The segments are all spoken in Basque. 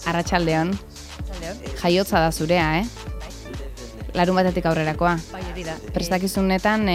Arratsaldeon. Jaiotza da zurea, Larun batetik aurrerakoa. Bai, hori da. Prestakizunetan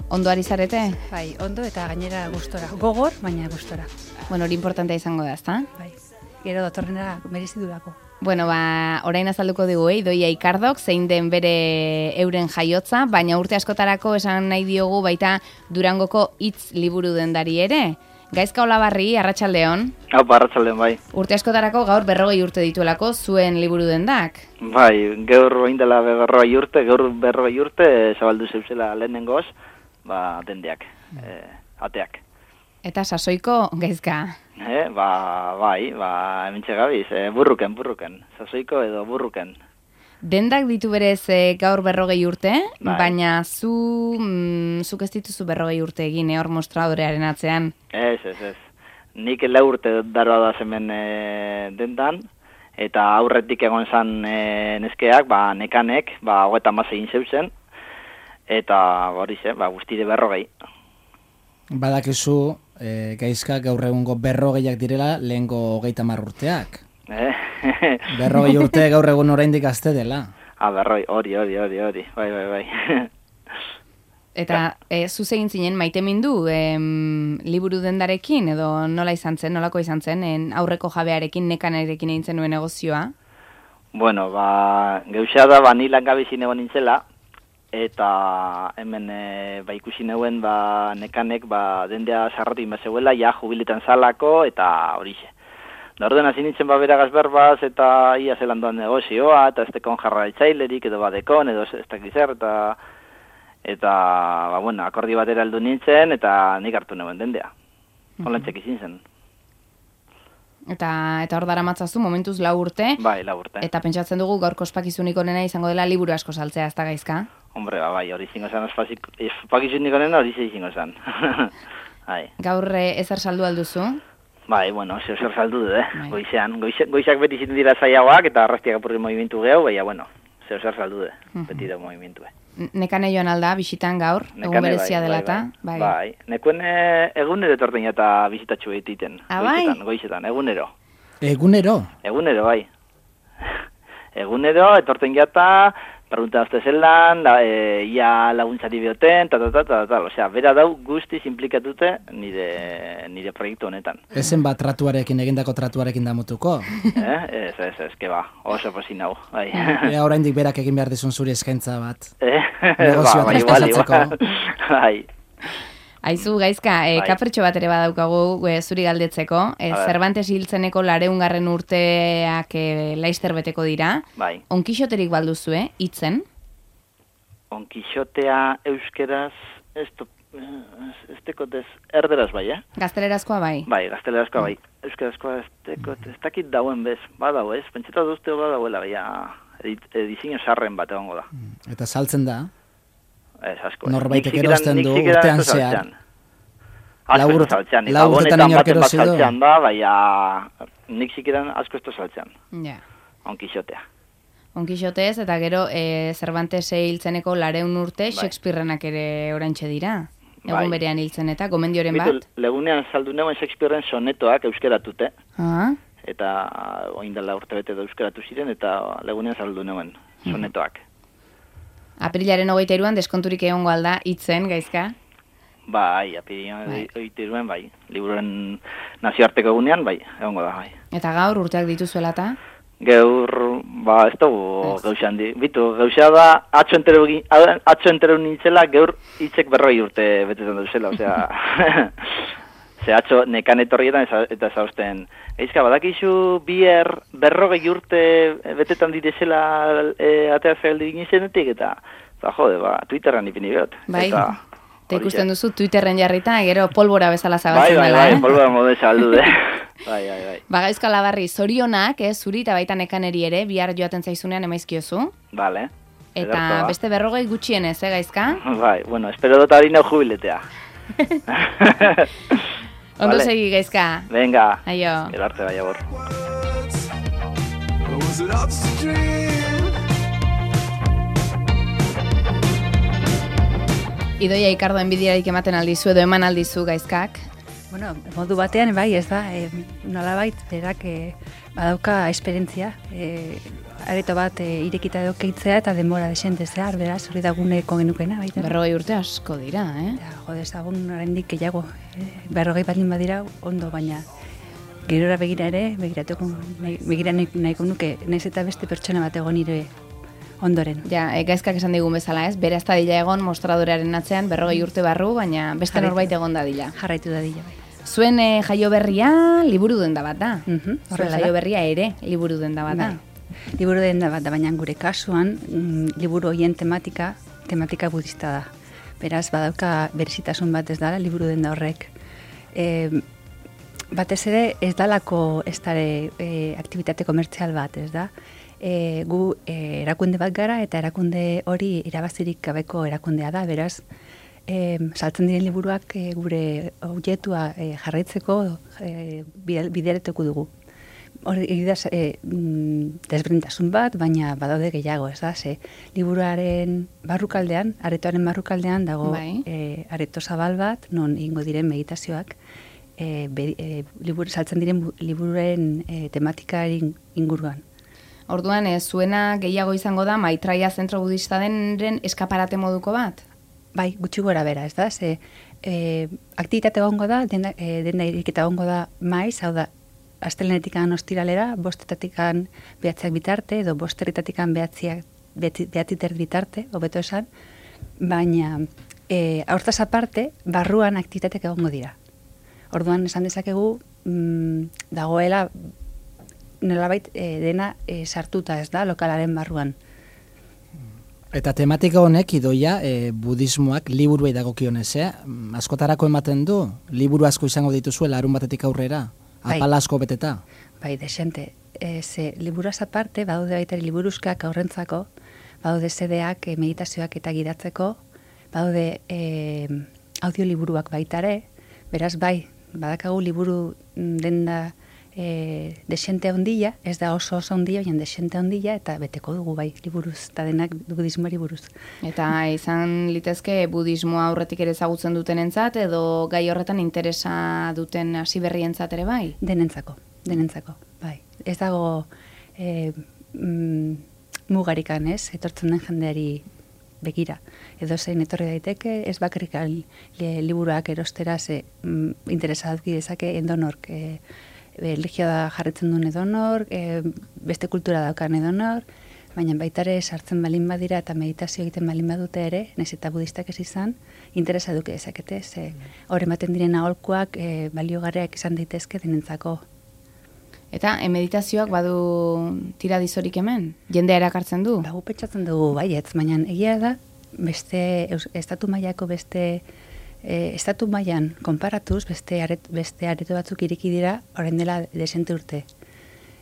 ondo ari zarete? Bai, ondo eta gainera gustora. Gogor, baina gustora. Bueno, hori importantea izango da, ezta? Bai. Gero datorrenera merezidurako. Bueno, orain azalduko digu, Idoia Ikardok, zein den bere euren jaiotza, baina urte askotarako esan nahi diogu baita Durangoko hitz liburu dendari ere. Gaizka Olabarri, arratsaldeon. Arratsaldeon, bai. Urte askotarako gaur 40 urte dituelako zuen liburu dendak. Bai, gaur orain dela 40 urte, gaur 40 urte zabaldu zeuzela lehenengoz, dendeak, ateak. Eta sasoiko gaizka. Bai, hementxe gabiz, burruken, sasoiko edo burruken. Dendak ditu berez gaur 40 urte, bai. Baina zuk ez dituzu 40 urte egin, hor mostradorearen atzean. Ez. Nik 4 urte daroa da hemen dendan, eta aurretik egon zan neskeak, nekanek, 36 egin zeuzen, eta hori ze, guztire 40. Badakizu, gaizka gaur egungo 40ak direla lehengo 30 urteak. 40 urte gaur egun oraindik gazte dela. Hori. Bai. Eta zuz egin zinen maitemindu liburu dendarekin, edo nolako izan zen, aurreko jabearekin, nekanerekin egin zenuen negozioa? Bueno, geuxea da, ni langabezin egon nintzela, eta hemen ikusi neuen nekanek dendea sarratu inbazeuela, ja jubiletan zalako, eta horixe. Da ordena zinitzen beragaz berbaz, eta ia zelan doan negozioa, eta ez tekon jarraitzailerik, edo badekon, edo ez dakizer, eta akordi batera heldu nintzen, eta nik hartu neuen dendea. Holantxek izin zen. Eta hor dara matzazu, momentuz 4 urte. Bai, 4 urte. Eta pentsatzen dugu gaur ospakizunik onena izango dela liburu asko saltzea, ez da gaizka? Hombre, bai, hori zingo zen, ospakizunik onena hori zingo zen. Gaur ezer saldu alduzu? Bai, bueno, zer saldu du, Goizak beti zitu dira zaiagoak, eta arrastiak apurri movimentu gehu, baina, zer saldu du, beti da movimentu. Nekane joan alda, bisitan gaur, egun berezia dela eta? Bai, nekuen egunero etorten eta bisitatxu egiten. Goizetan, egunero. Egunero? Egunero, bai. Egunero, etorten jata, preguntazte zelan, ia laguntzari bioten, osea, bera dau guztiz implikatute nire proiektu honetan. Ezen tratuarekin, egindako tratuarekin damutuko? Ez, keba, oso posin hau, bai. Ea oraindik berak egin behar dizun zuri eskaintza bat. Negozioa traspasatzeko. Bai. Aizu, gaizka, kapertxo bat ere badaukagu zuri galdetzeko. Cervantes hiltzeneko 200. Urteak laizter beteko dira. Bai. Onkixoterik balduzu, hitzen? Onkixotea euskeraz, ez tekotez erderaz bai, Gaztelerazkoa bai? Bai, gaztelerazkoa bai. Euskerazkoa ez dakit dauen bez, badau ez? Pentseta duzte badauela, edizio sarren bat egongo da. Eta saltzen da? Ez, asko. Norbaitek erosten du urtean zehar. Asko ez saltzean. Lau urtetan inork erosi du? Nik zikiran asko ez da saltzean. Ja. Onkixotea. Onkixotez, eta gero Cervantes hiltzeneko 200 urte, Shakespearenak ere oraintxe dira. Egun berean hiltzen eta, gomendioren bat? Legunean saldu neuen Shakespearen sonetoak euskeratute. Eta oindala urte bete da euskeratu ziren, eta legunean saldu neuen sonetoak. Aprilaren 23an deskonturik egongo alda hitzen, gaizka? Bai, aprilaren 23an, bai. Liburuen nazioarteko egunean, bai, egongo da, bai. Eta gaur urteak dituzuela eta? Gaur, ez dugu gauzan di. Bitu, gauzea da, atxo entero nintzela, gaur hitzek 40 urte betetan duzela, osea... Ze atxo nekan etorrietan eta zausten. Eizka, badakizu bier 40 urte betetan direzela atea zehaldi ginezenetik, eta jode, Twitterran ipini behot. Bai, eta ikusten duzu Twitterren jarrita, gero polbora bezala zabaltzen dela. Bai, polbora mode zabaldu, Bai. Gaizka Olabarri, zorionak, zuri eta baita nekaneri ere, bihar joaten zaizunean emaizkiozu. Bale. Eta beste 40 gutxienez, gaizka? Bai, bueno, espero dut hori neu jubiletea. Ondo segi, gaizka. Venga. Aio. Gero arte bai agor. Idoia Ikardo enbidiarik ematen aldizu edo eman aldizu gaizkak? Bueno, modu batean, bai, ez da, nolabait, berak badauka esperientzia, areto bat irekita edo keitzea eta denbora desente zehar, beraz, hori da guneko genukena, baita. 40 urte asko dira, Jode, ezagun oraindik gehiago, 40 baldin badira, ondo, baina gerora begira ere, begira nahiko nuke, naiz eta beste pertsona bat egon nire ondoren. Ja, gaizkak esan digun bezala, ez? Bera ez da dila egon mostradorearen atzean 40 urte barru, baina beste norbait egon dadila. Jarraitu dadila, bai. Zuen jaio berria liburu denda bat da. Zuen jaio berria ere liburu denda bat da. Liburu denda bat da, baina gure kasuan liburu horien tematika budista da. Beraz, badauka berezitasun bat ez dala liburu denda horrek. Batez ere ez dalako ez dara aktivitate komertzial bat, ez da? Gu erakunde bat gara eta erakunde hori irabazirik gabeko erakundea da, beraz, saltzen diren liburuak gure objetua jarraitzeko bideretuko dugu. Hori da desberdintasun bat, baina badaude gehiago, ez da? Ze liburuaren barrukaldean, aretoaren barrukaldean dago areto zabal bat, non egingo diren meditazioak, saltzen diren liburuaren tematikaren inguruan. Orduan, zuena gehiago izango da Maitraia zentro budista denren eskaparate moduko bat? Bai, gutxi gora bera, ez da? Ze aktivitate egongo da, denda iriketa egongo da maiz, hau da, asteleenetikan ostiralera, 5:00 behatziak bitarte, edo 5:00 behatziter bitarte, hobeto esan, baina hortaz aparte, barruan aktivitateak egongo dira. Orduan, esan dezakegu, dagoela nolabait dena sartuta, ez da, lokalaren barruan. Eta tematika honek idoia budismoak liburuei dagokionez, askotarako ematen du, liburu asko izango dituzuela larun batetik aurrera, apala asko beteta. Bai, desente. Ze liburuaz aparte, badaude baita liburuzkak aurrentzako, badaude CD-ak meditazioak eta gidatzeko, badaude audioliburuak baitare, beraz bai, badakagu liburu denda desente ondila, ez da oso ondila, baina desente ondila, eta beteko dugu bai, liburuz, eta denak budismoari buruz. Eta izan litezke budismoa aurretik ere ezagutzen dutenentzat, edo gai horretan interesa duten hasi berrientzat ere bai? Denentzako, bai. Ez dago mugarikan, ez, etortzen den jendeari begira. Edo zein etorri daiteke, ez bakarrik liburuak erostera interesa duki dezake endonork, religia jarritzen duen edonor, beste kultura daukan edonor, baina baitare sartzen balin badira eta meditazio egiten balin badute ere, nahiz eta budistak ez izan, interesa duke dezakete, hor ematen diren aholkuak baliogarriak izan daitezke denentzako. Eta meditazioak badu tiradizorik hemen? Jendea erakartzen du? Gu pentsatzen dugu baietz, baina egia da, beste estatu mailako estatu mailan konparatuz, beste areto batzuk ireki dira, orain dela desente urte.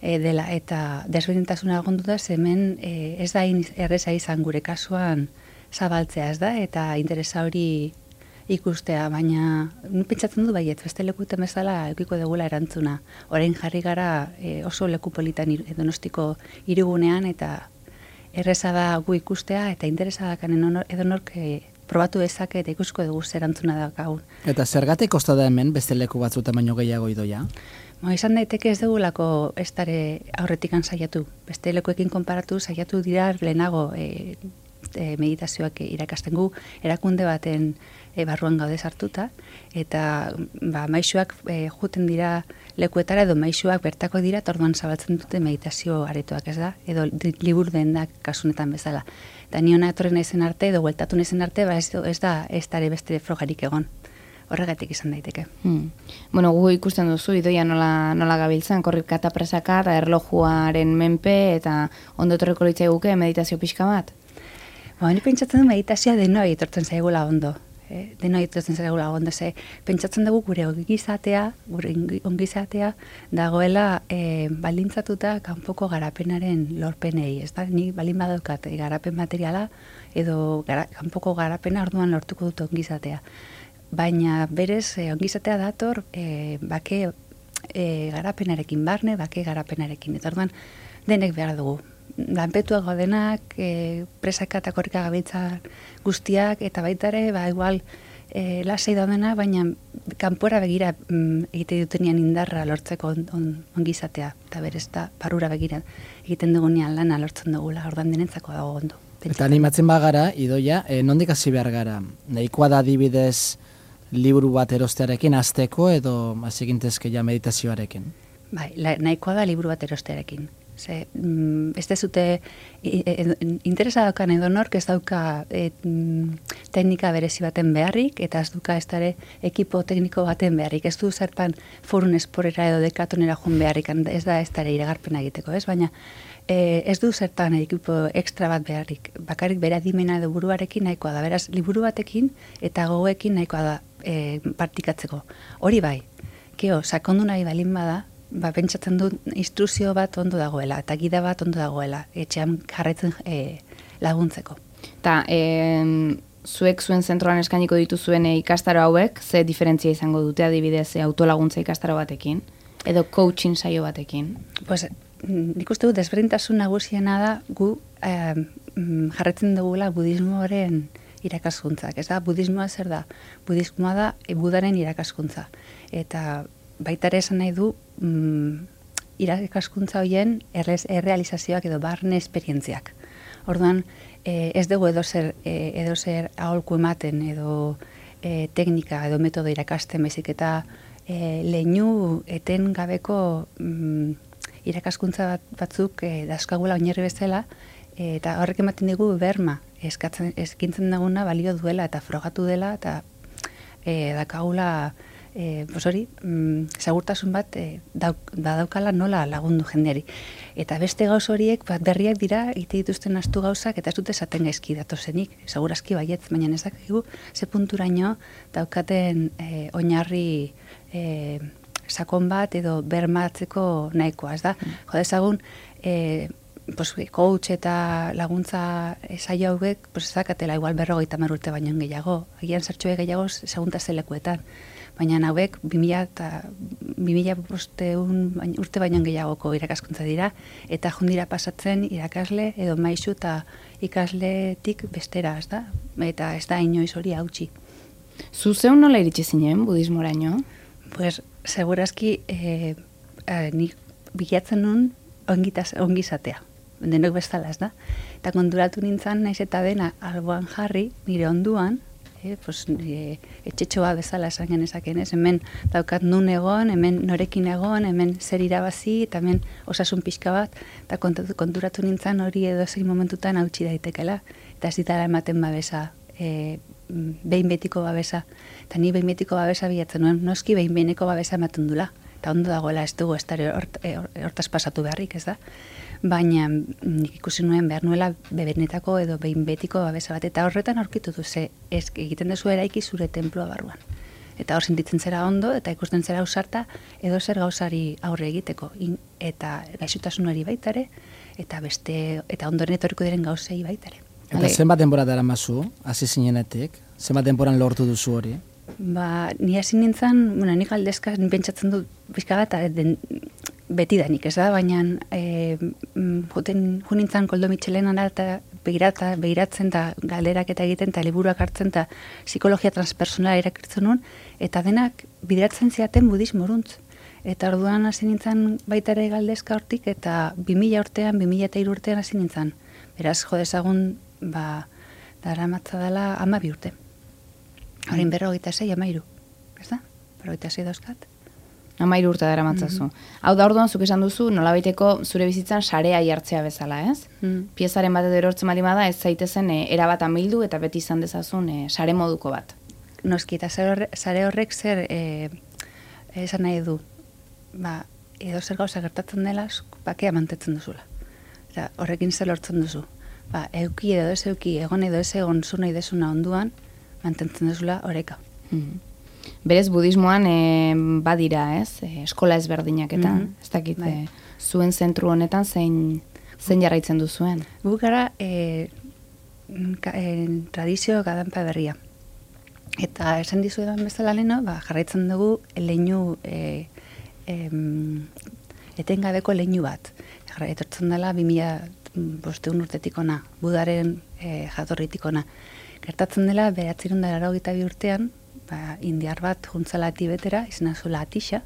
Dela, eta desberdintasuna egondu da, hemen ez da erreza izan gure kasuan zabaltzea, ez da, eta interesa hori ikustea, baina pentsatzen du baiet, beste lekuten bezala eukiko dugula erantzuna. Orain jarri gara oso leku politan Donostiko hirigunean, eta erreza da gu ikustea, eta interesa dakan edonork probatu dezake eta ikusko dugu zer erantzuna da gaur. Eta zergatik kosta da hemen beste leku batzuetan baino gehiago idoia? Izan daiteke ez dugulako ez dare aurretikan saiatu. Beste lekuekin konparatu saiatu dira lehenago meditazioak irakasten gu, erakunde baten barruan gaude sartuta, eta maisuak juten dira lekuetara edo maisuak bertako dira, eta orduan zabaltzen dute meditazio aretoak, ez da? Edo liburu dendak kasunetan bezala. Eta niona etorri naizen arte, edo gueltatu naizen arte, ez da beste frogarik egon. Horregatik izan daiteke. Bueno, gu ikusten duzu, idoia nola gabiltzen, korrika eta presaka, eta erlojuaren menpe, eta ondo etorriko litzai guke meditazio pixka bat? Ni pentsatzen du meditazioa denoi etortzen zaigula ondo. Denoi etortzen zaigula ondo, pentsatzen dugu gure ongizatea dagoela baldintzatuta kanpoko garapenaren lorpenei. Ez da, ni balin badaukat garapen materiala edo kanpoko garapena orduan lortuko dut ongizatea. Baina berez ongizatea dator bake garapenarekin barne, bake garapenarekin. Eta orduan denek behar dugu. Lanpetuak gaudenak, presaka eta korrika gabiltza guztiak, eta baita ere, igual lasai daudena, baina kanpora begira egite dutenean indarra lortzeko ongizatea, eta berez da, barrura begira egiten dugunean lana lortzen dugula, ordan denentzako dago ondo. Eta animatzen bagara, Idoia, nondik hasi behar gara? Nahikoa da adibidez liburu bat erostearekin, hasteko edo hasegintezke ja meditazioarekin? Bai, nahikoa da liburu bat erostearekin. Ze, ez dezute interesa daukan edonork ez dauka teknika berezi baten beharrik, eta ez duka ez dare ekipo tekniko baten beharrik. Ez du zertan Forun Esporera edo Dekatonera joan beharrik, ez da ez dare iragarpena egiteko, ez? Baina ez du zertan ekipo ekstra bat beharrik. Bakarrik bere adimena edo buruarekin nahikoa da. Beraz, liburu batekin eta gogoekin nahikoa da partikatzeko. Hori bai, sakondu nahi balin bada, pentsatzen dut instruzio bat ondo dagoela, eta gida bat ondo dagoela, etxean jarretzen laguntzeko. Eta, zuek zuen zentroan eskainiko dituzuen ikastaro hauek, ze diferentzia izango dute adibidez autolaguntza ikastaro batekin, edo coaching saio batekin? Pues, nik uste dut desberdintasun nagusiena da gu jarretzen dugula budismoaren irakaskuntzak. Ez da, budismoa zer da? Budismoa da Budaren irakaskuntza. Eta baita ere esan nahi du irakaskuntza horien errealizazioak edo barne esperientziak. Orduan, ez dugu edozer aholku ematen edo teknika edo metodo irakasten, baizik eta leinu eten gabeko irakaskuntza batzuk dauzkagula oinarri bezala, eta horrek ematen digu berma, eskintzen daguna balio duela eta frogatu dela, eta dakagula segurtasun bat daukala nola lagundu jendeari. Eta beste gauz horiek berriak dira, egite dituzten astu gauzak, eta ez dute esaten gaizki datozenik, segurazki baietz, baina ez dakigu ze punturaino daukaten oinarri sakon bat edo bermatzeko nahikoa, ez da? Jodezagun, coach eta laguntza saio hauek, ez dakatela igual 50 urte baino gehiago, agian zertxoe gehiago segunta zelekuetan. Baina hauek 2000 urte baino gehiagoko irakaskuntza dira, eta jundira pasatzen irakasle edo maisu eta ikasletik bestera, ez da? Eta ez da inoiz hori hautsi. Zu zeun nola iritsi zinen budismoraino? Pues, segurazki nik bilatzen nun ongizatea, denok bezala, ez da? Eta konturatu nintzen, naiz eta dena alboan jarri, nire onduan, etxetxoa bezala esan genezaken, ez? Hemen daukat nun egon, hemen norekin egon, hemen zer irabazi, eta hemen osasun pixka bat, eta konturatu nintzen hori edo zein momentutan hautsi daitekela, eta ez ditara ematen babesa, behin betiko babesa, eta ni behin betiko babesa bilatzen nuen, noski behin behineko babesa ematen dula, eta ondo dagoela ez dugu, ez hortaz pasatu beharrik, ez da? Baina nik ikusi nuen behar nuela bebenetako edo behin betiko babesa bat, eta horretan aurkitu du, ze egiten dezu eraiki zure tenplua barruan. Eta hor sentitzen zera ondo, eta ikusten zera ausarta, edo zer gauzari aurre egiteko, eta gaixotasunari baitare, eta ondoren etorriko diren gauzei baitare. Eta zenbat denbora dara mazu, hasi zinenetik? Zenbat denboran lortu duzu hori? Ni hasi nintzen, nik aldezka pentsatzen dut pixka bat, betidanik, ez da, baina junintzen Koldo Mitxelenan eta begiratzen eta galderak eta egiten eta liburuak hartzen eta psikologia transpersonala irakurtzen nuen, eta denak bideratzen ziaten budismoruntz. Eta orduan hasi nintzen baita ere galdezka hortik, eta 2003 urtean hasi nintzen. Beraz, jodezagun, dara matza dela 12 urte. Horin 46, 13, ez da? 46 dauzkat. 13 urte dara matzazu. Hau da orduan, zuk esan duzu, nolabaiteko zure bizitzan sarea jartzea bezala, ez? Piezaren bat edo erortzen bali bada, ez zaitezen erabat amildu eta beti izan dezazun sare moduko bat. Noski, eta sare horrek zer esan nahi du, edo zer gauza gertatzen dela, bakea mantetzen duzula. Eta horrekin zer lortzen duzu. Euki edo ez euki, egon edo ez egon zu nahi desuna onduan, mantentzen duzula oreka. Berez, budismoan badira, ez? Eskola ezberdinak eta, ez dakit, zuen zentru honetan zein jarraitzen duzuen? Gu gara tradizio gadanpa berria. Eta esan dizuetan bezala leno, jarraitzen dugu leinu etengabeko leinu bat. Etortzen dela 2005 urtetik ona, Budaren jatorritik ona. Gertatzen dela 1982 urtean, indiar bat juntzala Tibetera, izena zula Atisha,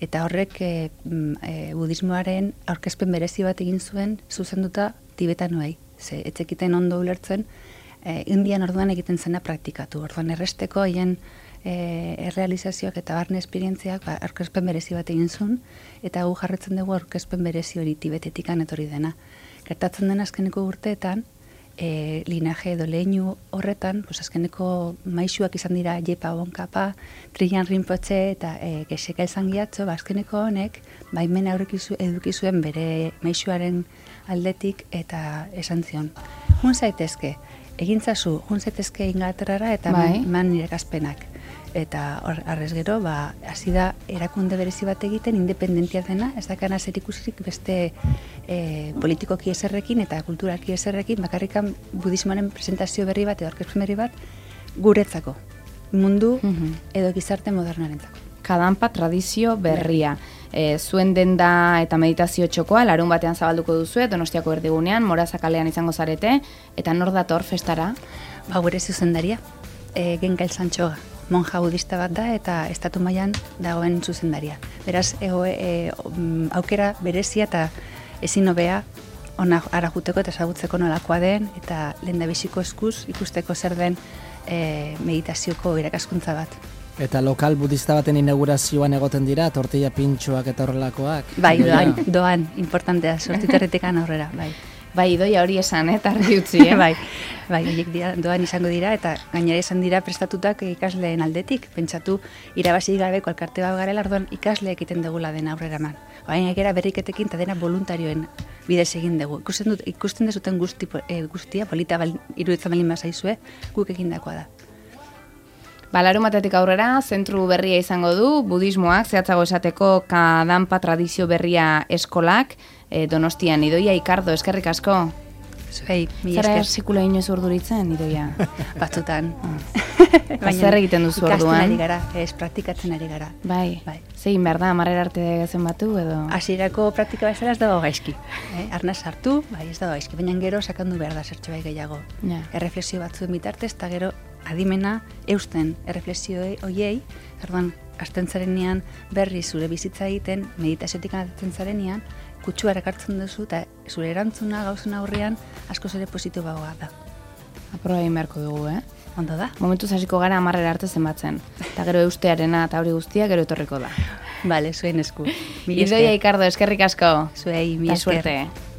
eta horrek budismoaren aurkezpen berezi bat egin zuen zuzenduta tibetanoei. Ze etzekiten ondo ulertzen, Indian orduan egiten zena praktikatu. Orduan erresteko haien errealizazioak eta barne esperientziak aurkezpen berezi bat egin zuen, eta gu jarretzen dugu aurkezpen berezi hori Tibetetikan etorri dena. Gertatzen den azkeneko urteetan, linaje edo leinu horretan, azkeneko maisuak izan dira Jepa Bonkapa, Trian Rinpoche eta Geseka Elzangiatxo, azkeneko honek baimena eduki zuen bere maisuaren aldetik eta esan zion. Jun zaitezke, egintzazu, jun zaitezke Inglaterrara eta eman nire gazpenak. Eta arrez gero, hasi da erakunde berezi bat egiten, independentia dena, ez dakana zer ikusirik beste politikoki eserrekin eta kulturalki eserrekin, bakarrikan budismoaren presentazio berri bat edo aurkezpen berri bat guretzako, mundu edo gizarte modernarentzako. Kadampa tradizio berria. Zuen denda eta meditazio txokoa, larun batean zabalduko duzue, Donostiako erdigunean, Morazakalean izango zarete, eta nor dator festara? Gure zuzendaria, Genka Elzantxoga. Monja budista bat da eta estatu mailan dagoen zuzendaria. Beraz, aukera berezia eta ezin hobea ona ara juteko eta ezagutzeko nolakoa den eta lehendabiziko eskuz ikusteko zer den meditazioko irakaskuntza bat. Eta lokal budista baten inaugurazioan egoten dira, tortilla pintxoak eta horrelakoak? Bai, doan, importantea, Sortiterretikan aurrera, bai. Bai, idoia hori esan, argi utzi, Bai, horiek doan izango dira, eta gainera izan dira prestatutak ikasleen aldetik. Pentsatu, irabazi gabeko alkarte bat garela, orduan ikasleek egiten dugula dena aurrera eman. Baina egera berriketekin eta dena voluntarioen bidez egin dugu. Ikusten dezuten guztia, polita iruditzen balin bazaizue, guk egindakoa da. Larunbatetik aurrera, zentru berria izango du, budismoak, zehatzago esateko Kadampa tradizio berria eskolak, Donostian, Idoia Ikardo, eskerrik asko. Zuei, mi esker. Zara sekula inoiz urduritzen, Idoia? Batzutan. Zer egiten duzu orduan? Ikasten ari gara, praktikatzen ari gara. Bai. Zegin behar da, amarrera arte zenbatu edo? Hasierako praktika bezala ez dago gaizki. Arnaz hartu, ez dago gaizki, baina gero sakandu behar da zertxo bai gehiago. Erreflexio batzuen bitartez, eta gero adimena eusten erreflexio horiei, orduan, hasten zarenean berri zure bizitza egiten, meditaziotik anatzen zarenean, kutsua erakartzen duzu eta zure erantzuna gauzun aurrean askoz ere positiboagoa da. Aproba egin beharko dugu, Ondo da? Momentuz hasiko gara amarrera arte zenbatzen. Eta gero eustearena eta hori guztia gero etorriko da. Bale, zuen esku. Idoia Ikardo, eskerrik asko. Zuei, mi esker. Suerte.